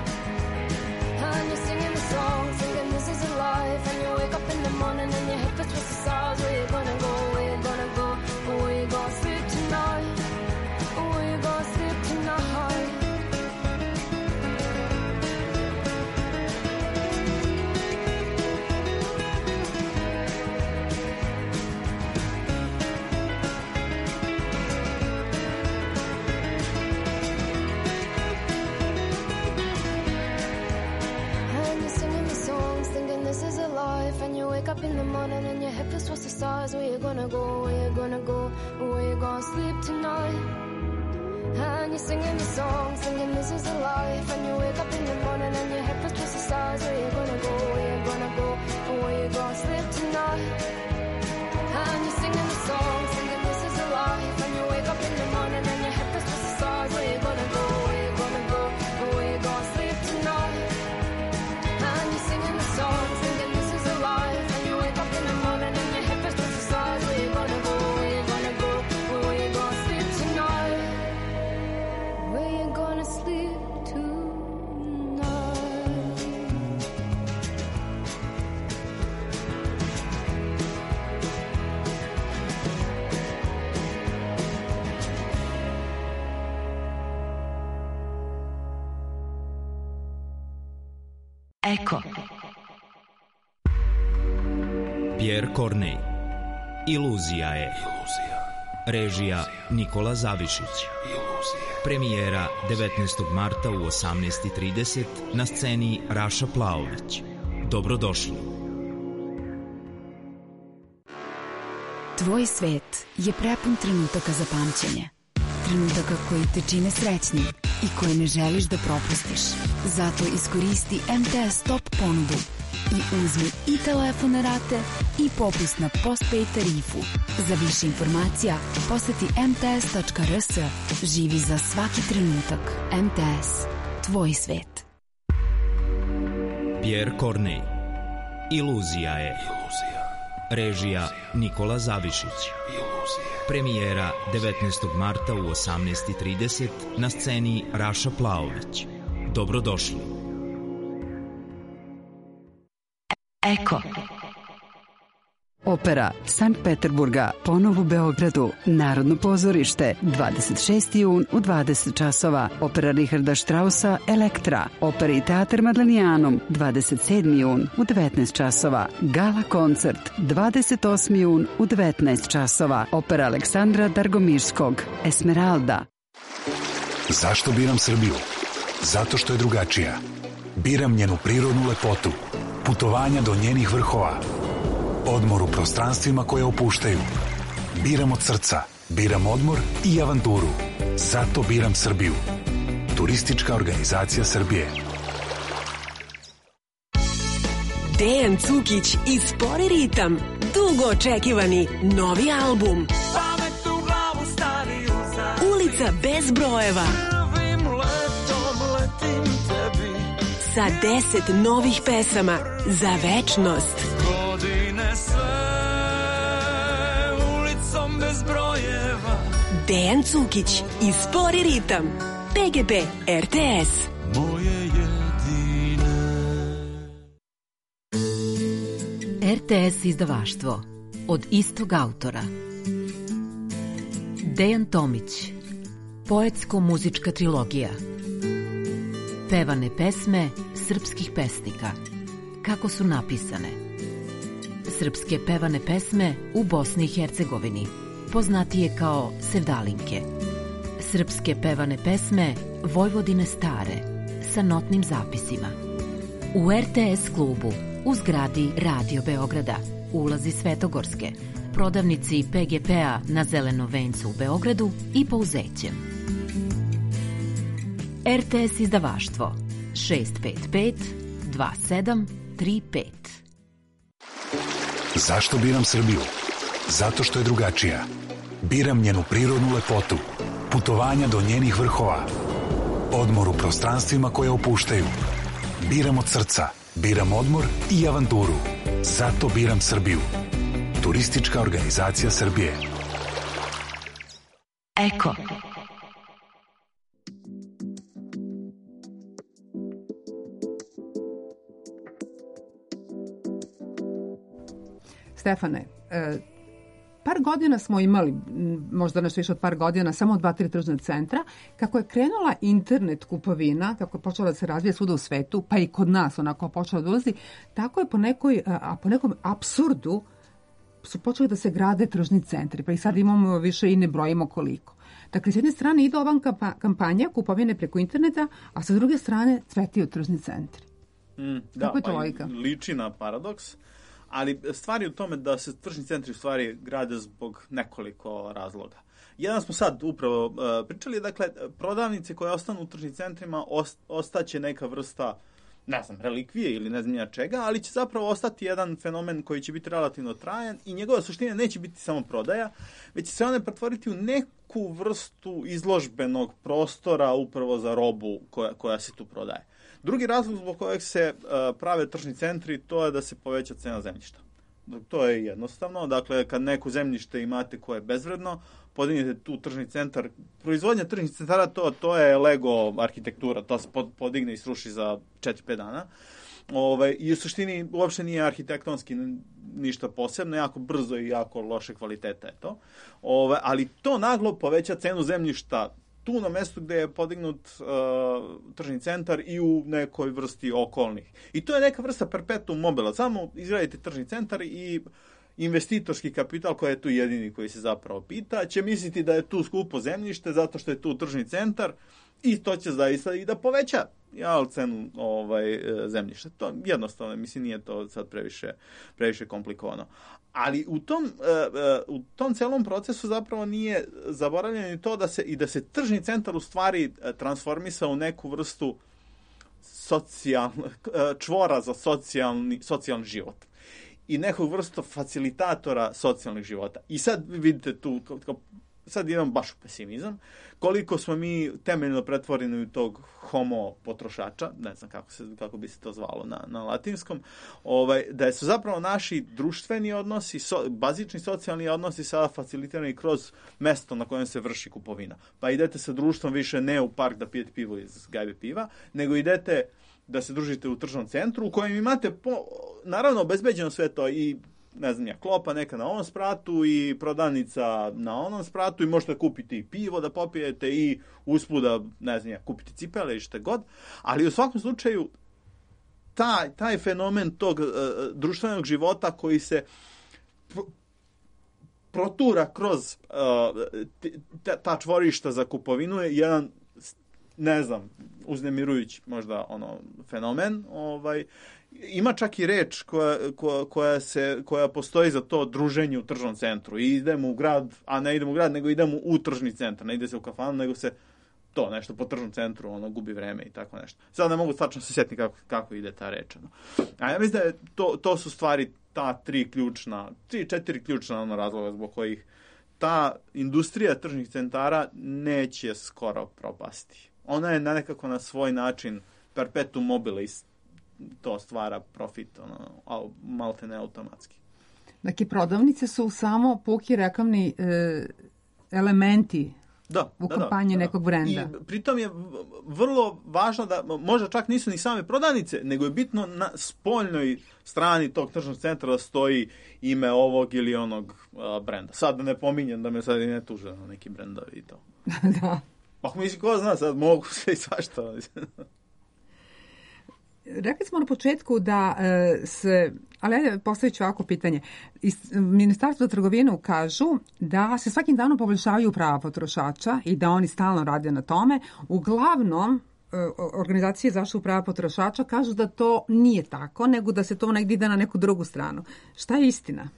And you're singing the songs, thinking this is a life. And you wake up in the morning and your head feels past the stars. Where you gonna go, where you gonna go, and where you gonna sleep tonight? Where you gonna sleep tonight? This is a life, and you wake up in the morning and your head feels towards the stars. Where you gonna go, where you gonna go, where you gonna sleep tonight? And you're singing the song, singing this is a life. And you wake up in the morning and your head feels towards the stars. Where you gonna go, where you gonna go, where you gonna sleep tonight? And you're singing the song, singing this is a life. And you wake up in the morning and your head feels towards the stars. Where you gonna go, where you gonna go, where you gonna sleep tonight? And you're singing the song, singing this is a life. And you wake up in the morning and your head feels towards the stars. Where you gonna go, where you gonna go, where you gonna sleep tonight? Where you gonna sleep tonight? Eko. Pierre Corneille. Iluzija je. Režija Nikola Zavišić. Premijera devetnaestog marta u osamnaest i trideset na sceni Raša Plaović. Dobrodošli. Tvoj svet je prepun trenutaka za pamćenje. Trenutaka koji te čine srećnim i koje ne želiš da propustiš. Zato iskoristi em te es Top ponudu i uzmi i telefone rate i popust na postpaid tarifu. Za više informacija poseti em te es tačka er es. Živi za svaki trenutak. em te es. Tvoj svet. Pierre Corneille. Iluzija je. Režija Nikola Zavišić. Premijera devetnaestog marta u osamnaest i trideset na sceni Raša Plaović. Dobrodošli. Eko. Opera Sankt Peterburga ponovo u Beogradu. Narodno pozorište dvadeset šesti jun u dvadeset časova. Opera Richarda Straussa Elektra. Opera i teatr Madlenijanum dvadeset sedmi jun u devetnaest časova. Gala koncert dvadeset osmi jun u devetnaest časova. Opera Aleksandra Dargomirskog Esmeralda. Zašto biram Srbiju? Zato što je drugačija. Biram njenu prirodnu lepotu, putovanja do njenih vrhova, odmor u prostranstvima koje opuštaju. Biram od srca, Biram odmor i avanturu. Zato biram Srbiju. Turistička organizacija Srbije. Dejan Cukić i Spori ritam. Dugo očekivani novi album. Pamet u glavu stari uza. Ulica bez brojeva. Prvim letom letim tebi. Sa deset novih pesama za večnost. Godine sve ulicom bez brojeva. Dejan Cukić i Spori ritam. P G P R T S. Moje jedine. R T S izdavaštvo od istog autora. Dejan Tomić. Poetsko-muzička trilogija. Pevane pesme srpskih pesnika. Kako su napisane. Srpske pevane pesme u Bosni i Hercegovini, poznatije kao sevdalinke. Srpske pevane pesme Vojvodine stare, sa notnim zapisima. U R T S klubu, u zgradi Radio Beograda, ulazi Svetogorske, prodavnici P G P-a na Zelenom vencu u Beogradu i Pouzećem. R T S izdavaštvo šest pet pet dva sedam tri pet. Zašto biram Srbiju? Zato što je drugačija. Biram njenu prirodnu lepotu, putovanja do njenih vrhova, odmor u prostranstvima koje opuštaju. Biram od srca, biram odmor i avanturu. Zato biram Srbiju. Turistička organizacija Srbije. Eko. Stefane, e, par godina smo imali, možda nešto više od par godina, samo dva, tri tržna centra. Kako je krenula internet kupovina, kako je počela da se razvija svuda u svetu, pa i kod nas onako počela da ulazi, tako je po nekoj, a po nekom apsurdu su počeli da se grade tržni centri, pa i sad imamo više i ne brojimo koliko. Dakle, s jedne strane ide ova kampanja kupovine preko interneta, a sa druge strane cvetiju tržni centri. Mm, da, kako je to pa logika? Liči na paradoks. Ali stvar je u tome da se tržni centri u stvari grade zbog nekoliko razloga. Jedan smo sad upravo uh, pričali, dakle, prodavnice koje ostanu u tržnim centrima ost, ostaće neka vrsta, ne znam, relikvije ili ne znam ja čega, ali će zapravo ostati jedan fenomen koji će biti relativno trajan i njegova suština neće biti samo prodaja, već će se one pretvoriti u neku vrstu izložbenog prostora upravo za robu koja, koja se tu prodaje. Drugi razlog zbog kojeg se uh, prave tržni centri, to je da se poveća cena zemljišta. To je jednostavno. Dakle, kad neko zemljište imate koje je bezvredno, podignete tu tržni centar. Proizvodnja tržnih centara, to, to je Lego arhitektura. To se podigne i sruši za četiri pet dana. Ove, I u suštini uopšte nije arhitektonski ništa posebno, jako brzo i jako loše kvaliteta je to. Ove, ali to naglo poveća cenu zemljišta tu na mestu gde je podignut uh, tržni centar i u nekoj vrsti okolnih. I to je neka vrsta perpetuum mobile. Samo izgradite tržni centar i investitorski kapital, koji je tu jedini koji se zapravo pita, će misliti da je tu skupo zemljište zato što je tu tržni centar i to će zaista i da poveća ja, cenu ovaj, zemljišta. To jednostavno, mislim, nije to sad previše, previše komplikovano. Ali u tom, uh, uh, u tom celom procesu zapravo nije zaboravljeno i to da se, i da se tržni centar u stvari transformisa u neku vrstu socijalno, čvora za socijalni, socijalni život. I nekog vrstu facilitatora socijalnih života. I sad vidite tu, kao, sad idem baš u pesimizam, koliko smo mi temeljno pretvoreni u tog homo potrošača, ne znam kako, se, kako bi se to zvalo na, na latinskom, ovaj, da su zapravo naši društveni odnosi, so, bazični socijalni odnosi sada facilitirani kroz mesto na kojem se vrši kupovina. Pa idete sa društvom više ne u park da pijete pivo iz gajbe piva, nego idete da se družite u tržnom centru u kojem imate, po, naravno, obezbeđeno sve to i, ne znam ja, klopa neka na ovom spratu i prodavnica na onom spratu i možete kupiti i pivo da popijete i usput da, ne znam ja, kupiti cipele i što god, ali u svakom slučaju taj, taj fenomen tog uh, društvenog života koji se pr protura kroz uh, ta čvorišta za kupovinu je jedan, ne znam, uznemirujući možda ono fenomen, ovaj, ima čak i reč koja, koja, koja, se, koja postoji za to druženje u tržnom centru. I idemo u grad, a ne idemo u grad, nego idemo u tržni centar. Ne ide se u kafanu, nego se to nešto po tržnom centru, ono, gubi vreme i tako nešto. Sad ne mogu tačno se sjetiti kako, kako ide ta reč. Ono. A ja mislim da je to, to su stvari ta tri ključna, tri, četiri ključna ono, razloga zbog kojih ta industrija tržnih centara neće skoro propasti. Ona je nekako na svoj način perpetuum mobile i to stvara profit, ono, malte ne automatski. Dakle, prodavnice su samo puki reklamni e, elementi da, u da, kampanji da, da. nekog brenda. I pritom je vrlo važno da, možda čak nisu ni same prodavnice, nego je bitno na spoljnoj strani tog tržnog centra da stoji ime ovog ili onog uh, brenda. Sad da ne pominjem da me sad i ne tuže na neki brendovi i to. Da. Pa mislim, ko zna, sad mogu sve i svašta. Rekli smo na početku da e, se, ali ajde postavit ću ovako pitanje. Iz Ministarstva za trgovinu kažu da se svakim danom poboljšavaju prava potrošača i da oni stalno rade na tome. Uglavnom, e, organizacije za zaštitu prava potrošača kažu da to nije tako, nego da se to negdje ide na neku drugu stranu. Šta je istina?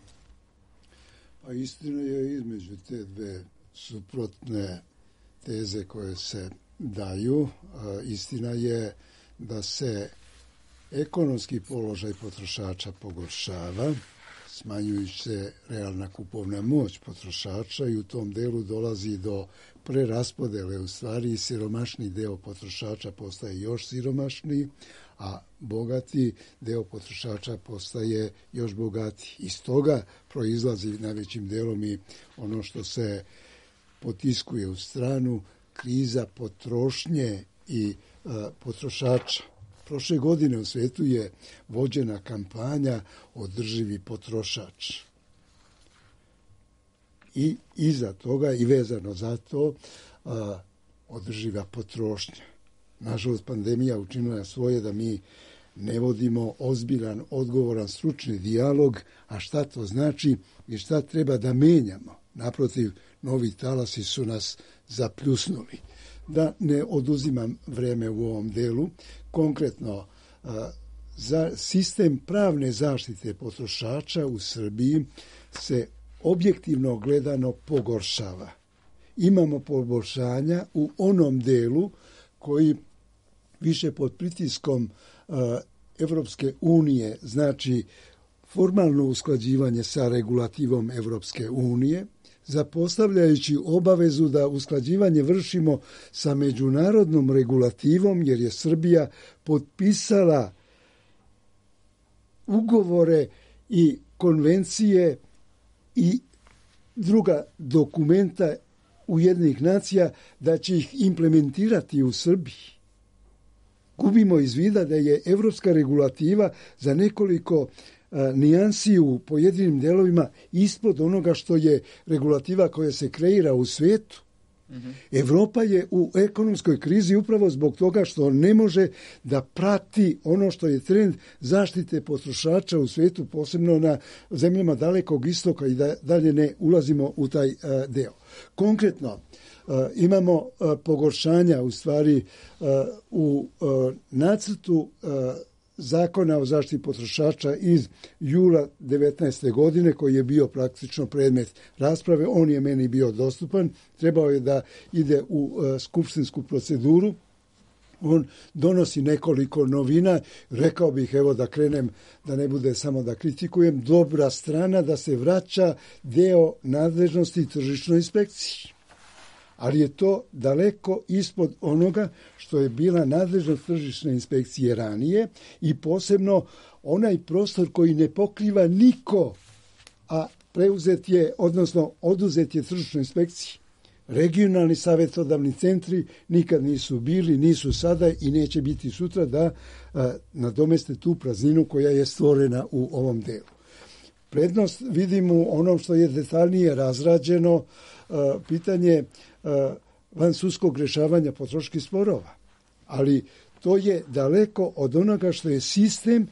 Pa istina je između te dve suprotne teze koje se daju. A istina je da se ekonomski položaj potrošača pogoršava, smanjujući se realna kupovna moć potrošača i u tom delu dolazi do preraspodele. U stvari, siromašni deo potrošača postaje još siromašniji, a bogati deo potrošača postaje još bogatiji. Iz toga proizlazi najvećim delom i ono što se potiskuje u stranu, kriza potrošnje i a, potrošača. Prošle godine u svijetu je vođena kampanja Održivi potrošač. I iza toga i vezano za to a, održiva potrošnja. Nažalost, pandemija učinila svoje da mi ne vodimo ozbiljan, odgovoran, stručni dijalog, a šta to znači i šta treba da menjamo. Naprotiv, novi talasi su nas zapljusnuli. Da ne oduzimam vreme u ovom delu, konkretno za sistem pravne zaštite potrošača u Srbiji se objektivno gledano pogoršava. Imamo poboljšanja u onom delu koji više pod pritiskom Evropske unije, znači formalno usklađivanje sa regulativom Evropske unije, zapostavljajući obavezu da usklađivanje vršimo sa međunarodnom regulativom, jer je Srbija potpisala ugovore i konvencije i druga dokumenta Ujedinjenih nacija da će ih implementirati u Srbiji. Gubimo iz vida da je evropska regulativa za nekoliko nijansi u pojedinim delovima ispod onoga što je regulativa koja se kreira u svijetu. Mm-hmm. Evropa je u ekonomskoj krizi upravo zbog toga što ne može da prati ono što je trend zaštite potrošača u svijetu, posebno na zemljama dalekog istoka i da dalje ne ulazimo u taj uh, deo. Konkretno, uh, imamo uh, pogoršanja u stvari uh, u uh, nacrtu uh, Zakona o zaštiti potrošača iz jula devetnaeste godine, koji je bio praktično predmet rasprave. On je meni bio dostupan. Trebao je da ide u uh, skupštinsku proceduru. On donosi nekoliko novina. Rekao bih, evo da krenem, da ne bude samo da kritikujem, dobra strana da se vraća deo nadležnosti tržišnoj inspekciji. Ali je to daleko ispod onoga što je bila nadležnost tržišne inspekcije ranije i posebno onaj prostor koji ne pokriva niko, a preuzet je, odnosno oduzet je tržišnoj inspekciji. Regionalni savjetodavni centri nikad nisu bili, nisu sada i neće biti sutra da a, nadomeste tu prazninu koja je stvorena u ovom delu. Prednost vidim u onom što je detaljnije razrađeno, a, pitanje van sudskog rješavanja potrošačkih sporova. Ali to je daleko od onoga što je sistem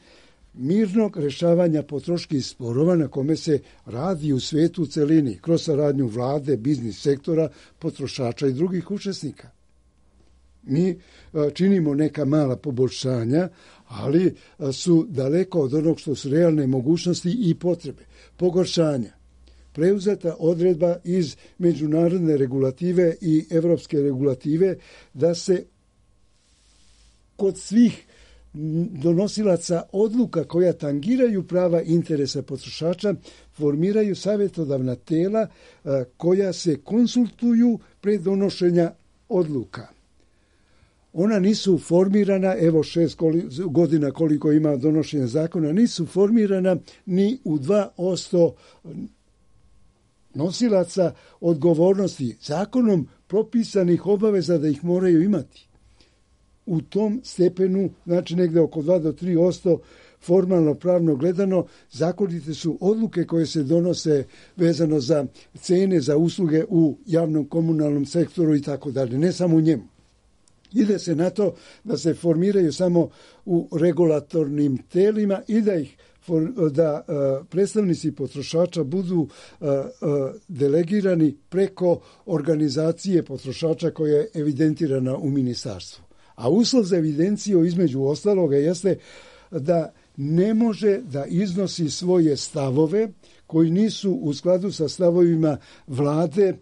mirnog rješavanja potrošačkih sporova na kome se radi u svijetu u celini, kroz saradnju vlade, biznis sektora, potrošača i drugih učesnika. Mi činimo neka mala poboljšanja, ali su daleko od onog što su realne mogućnosti i potrebe. Pogoršanja. Preuzeta odredba iz međunarodne regulative i evropske regulative da se kod svih donosilaca odluka koja tangiraju prava interesa potrošača formiraju savjetodavna tela koja se konsultuju pre donošenja odluka. Ona nisu formirana, evo šest godina koliko ima donošenja zakona, nisu formirana ni u dva posto nosilaca odgovornosti zakonom propisanih obaveza da ih moraju imati. U tom stepenu, znači negde oko dva do tri posto formalno pravno gledano, zakonite su odluke koje se donose vezano za cene, za usluge u javnom komunalnom sektoru i tako dalje, ne samo u njemu. Ide se na to da se formiraju samo u regulatornim telima i da ih da uh, predstavnici potrošača budu uh, uh, delegirani preko organizacije potrošača koja je evidentirana u ministarstvu. A uslov za evidenciju između ostaloga jeste da ne može da iznosi svoje stavove koji nisu u skladu sa stavovima vlade,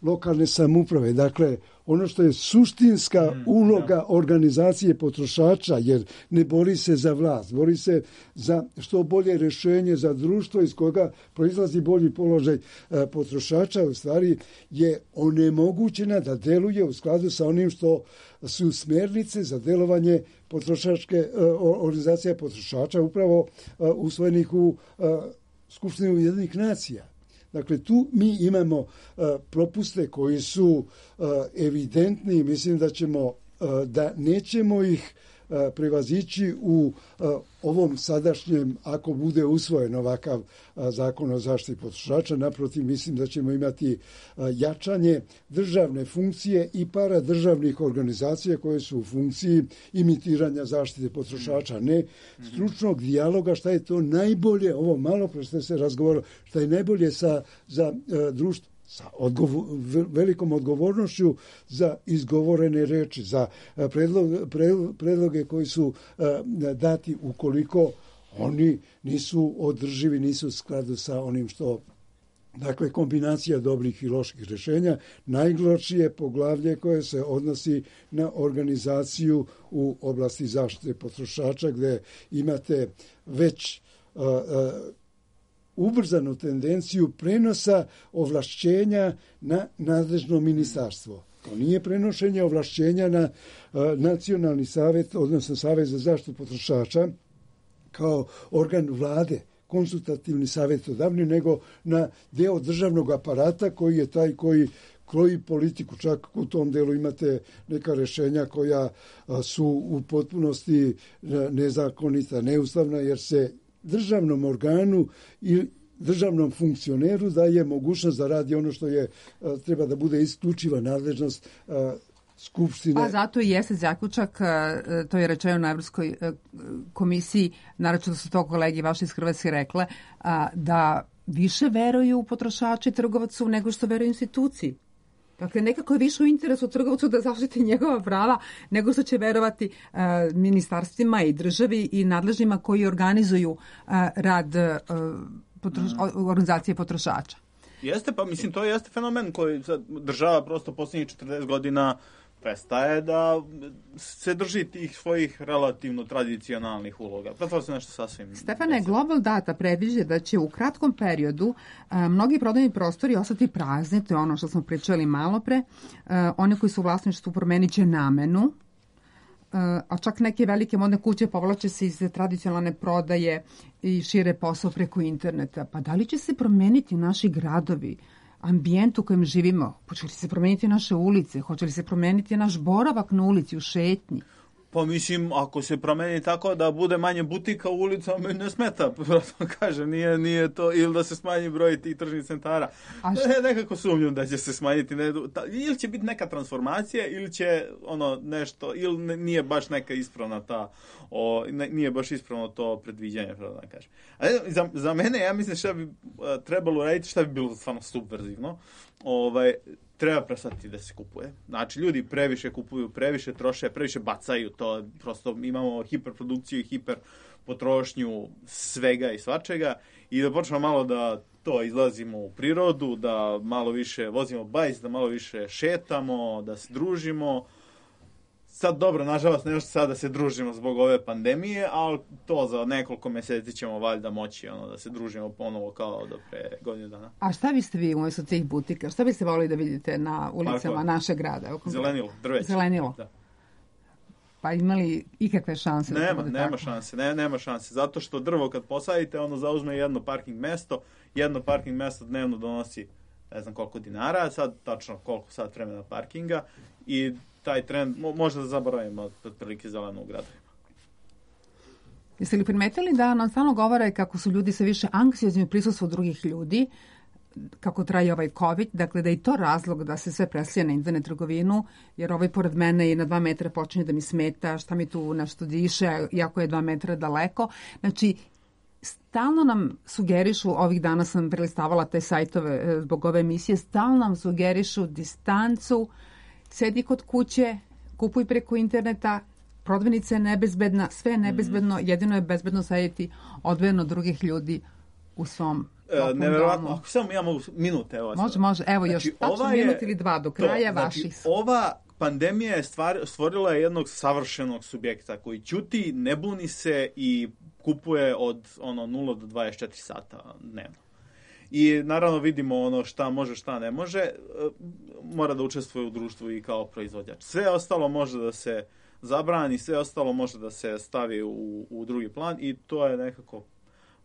lokalne samouprave. Dakle, ono što je suštinska mm, uloga ja. organizacije potrošača, jer ne bori se za vlast, bori se za što bolje rješenje za društvo iz koga proizlazi bolji položaj e, potrošača, u stvari je onemogućena da deluje u skladu sa onim što su smjernice za delovanje potrošačke e, organizacije potrošača upravo e, usvojenih u e, Skupštini Ujedinjenih nacija. Dakle, tu mi imamo uh, propuste koji su uh, evidentni i mislim da ćemo, uh, da nećemo ih uh, prevazići u uh, ovom sadašnjem, ako bude usvojen ovakav uh, zakon o zaštiti potrošača. Naprotiv, mislim da ćemo imati uh, jačanje državne funkcije i paradržavnih organizacija koje su u funkciji imitiranja zaštite potrošača, ne stručnog dijaloga, šta je to najbolje, ovo malo pre što se razgovaralo, šta je najbolje sa, za uh, društvo, sa odgovor, velikom odgovornošću za izgovorene reči, za predlog, predloge koji su uh, dati ukoliko oni nisu održivi, nisu u skladu sa onim što, dakle, kombinacija dobrih i loših rješenja. Najlošije poglavlje koje se odnosi na organizaciju u oblasti zaštite potrošača, gdje imate već uh, uh, ubrzanu tendenciju prenosa ovlašćenja na nadležno ministarstvo. To nije prenošenje ovlašćenja na uh, nacionalni savjet, odnosno savjet za zaštitu potrošača kao organ vlade, konsultativni savjetodavni, nego na deo državnog aparata koji je taj koji kroji politiku. Čak u tom delu imate neka rješenja koja uh, su u potpunosti uh, nezakonita, neustavna, jer se državnom organu i državnom funkcioneru daje mogućnost da radi ono što je treba da bude isključiva nadležnost Skupštine. Pa zato i jeste zaključak, to je rečeno na Evropskoj komisiji, naročito da su to kolegi vaši iz Hrvatske rekle, da više veruju potrošači trgovacu nego što veruju instituciji. Dakle, nekako je više u interesu trgovcu da zaštiti njegova prava nego što će verovati uh, ministarstvima i državi i nadležnima koji organizuju uh, rad uh, potroš, mm. organizacije potrošača. Jeste, pa mislim, to jeste fenomen koji država prosto posljednjih četrdeset godina prestaje da se drži tih svojih relativno tradicionalnih uloga. Pretvara se nešto sasvim... Stefane, Global Data predviđa da će u kratkom periodu a, mnogi prodajni prostori ostati prazni, to je ono što smo pričali malo pre. A, one koji su u vlasništvu promenit će namenu, a, a čak neke velike modne kuće povlače se iz tradicionalne prodaje i šire posao preko interneta. Pa da li će se promeniti naši gradovi, ambijent u kojem živimo? Hoće li se promeniti naše ulice? Hoće li se promeniti naš boravak na ulici, u šetnji? Pa mislim, ako se promeni tako da bude manje butika u ulicama, ne smeta, prosto kaže, nije, nije to, ili da se smanji broj tih tržnih centara. A što... ne, nekako sumnjam da će se smanjiti, ne, ta, ili će biti neka transformacija, ili će ono nešto, ili nije baš neka ispravna ta, o, ne, nije baš ispravno to predviđanje, pravo da kažem. A za, za mene, ja mislim šta bi uh, trebalo raditi, šta bi bilo stvarno subverzivno, ovaj, treba prestati da se kupuje. Znači, ljudi previše kupuju, previše troše, previše bacaju to. Prosto imamo hiperprodukciju i hiper potrošnju svega i svačega i da počnemo malo da to izlazimo u prirodu, da malo više vozimo bajs, da malo više šetamo, da se družimo. Sad dobro, nažalost, ne još sad da se družimo zbog ove pandemije, ali to za nekoliko meseci ćemo valjda moći ono, da se družimo ponovo kao do pre godine dana. A šta biste vi umjesto tih butika? Šta biste volili da vidite na ulicama Parkova. Našeg grada? Zelenilo, drveće. Zelenilo? Da. Pa imali ikakve šanse? Nema, da nema tako? šanse, ne, nema šanse. Zato što drvo kad posadite, ono zauzme jedno parking mesto, jedno parking mesto dnevno donosi ne znam koliko dinara, sad tačno koliko sat vremena parkinga i taj trend, možda da zaboravimo od prilike zeleno u gradovima. Jeste li primetili da nam stalno govore kako su ljudi sve više anksiozni u prisustvu drugih ljudi, kako traje ovaj COVID, dakle da je i to razlog da se sve preslije na internet trgovinu, jer ovaj pored mene i na dva metra počinje da mi smeta, šta mi tu nešto diše, iako je dva metra daleko. Znači, stalno nam sugerišu, ovih dana sam prelistavala te sajtove zbog ove emisije, stalno nam sugerišu distancu, sedi kod kuće, kupuj preko interneta, prodavnica je nebezbedna, sve je nebezbedno, jedino je bezbedno sedjeti odvojeno od drugih ljudi u svom e, neverovatno, ako samo ja mogu minute. Evo, može, može, evo znači, još tačno minut ili dva do kraja to, vaših. Znači, ova pandemija je stvar, stvorila jednog savršenog subjekta koji ćuti, ne buni se i kupuje od ono nula do dvadeset četiri sata dnevno. I naravno vidimo ono šta može, šta ne može, mora da učestvuje u društvu i kao proizvođač. Sve ostalo može da se zabrani, sve ostalo može da se stavi u, u drugi plan i to je nekako,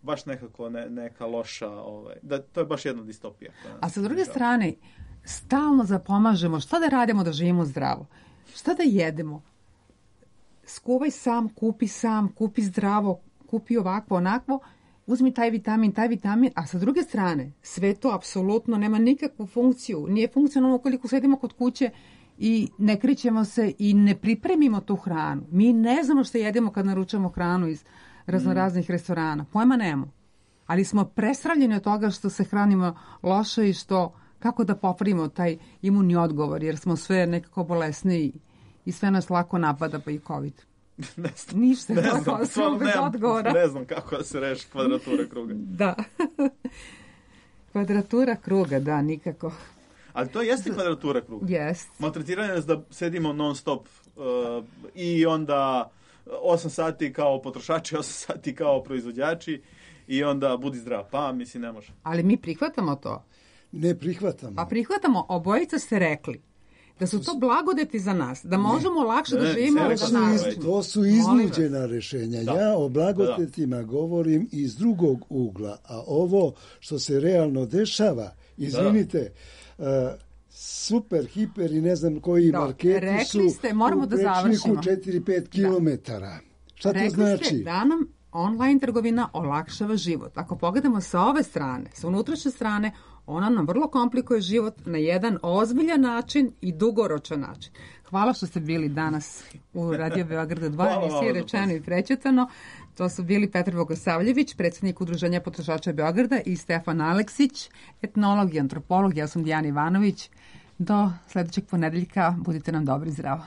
baš nekako ne, neka loša, ovaj, da, to je baš jedna distopija. A sa druge strane, stalno zapomažemo šta da radimo da živimo zdravo, šta da jedemo. Skuvaj sam, kupi sam, kupi zdravo, kupi ovakvo, onakvo, uzmi taj vitamin, taj vitamin, a sa druge strane, sve to apsolutno nema nikakvu funkciju. Nije funkcionalno ukoliko sedimo kod kuće i ne krićemo se i ne pripremimo tu hranu. Mi ne znamo što jedemo kad naručamo hranu iz raznoraznih restorana. Pojma nemamo. Ali smo presravljeni od toga što se hranimo loše i što, kako da popravimo taj imunni odgovor, jer smo sve nekako bolesni i sve nas lako napada, pa i COVID. Ne znam, Ništa, ne znam, stvarno bez odgovora. Ne znam kako da se reši kvadratura kruga. Da. Kvadratura kruga, da, nikako. Ali to jeste kvadratura kruga. Jest. Maltretiranje nas da sedimo non stop uh, i onda osam sati kao potrošači, osam sati kao proizvođači i onda budi zdrav. Pa, mislim, ne može. Ali mi prihvatamo to. Ne prihvatamo. Pa prihvatamo, obojica ste rekli da su to blagodeti za nas, da možemo ne, lakše ne, da živimo. To su, iz, to su iznuđena rješenja. Da. Ja o blagodetima da, da. govorim iz drugog ugla, a ovo što se realno dešava, izvinite, da. uh, super, hiper i ne znam koji da. marketi rekli su ste, moramo u da prečniku četiri do pet kilometara. Šta rekli to znači? Ste da nam online trgovina olakšava život. Ako pogledamo sa ove strane, sa unutrašnje strane, ona nam vrlo komplikuje život na jedan ozbiljan način i dugoročan način. Hvala što ste bili danas u Radio Beogradu dva, emisije Rečeno i prećutano. To su bili Petar Bogosavljević, predsjednik Udruženja potrošača Beograda, i Stefan Aleksić, etnolog i antropolog. Ja sam Dijana Ivanović. Do sledećeg ponedeljka budite nam dobri i zdravo.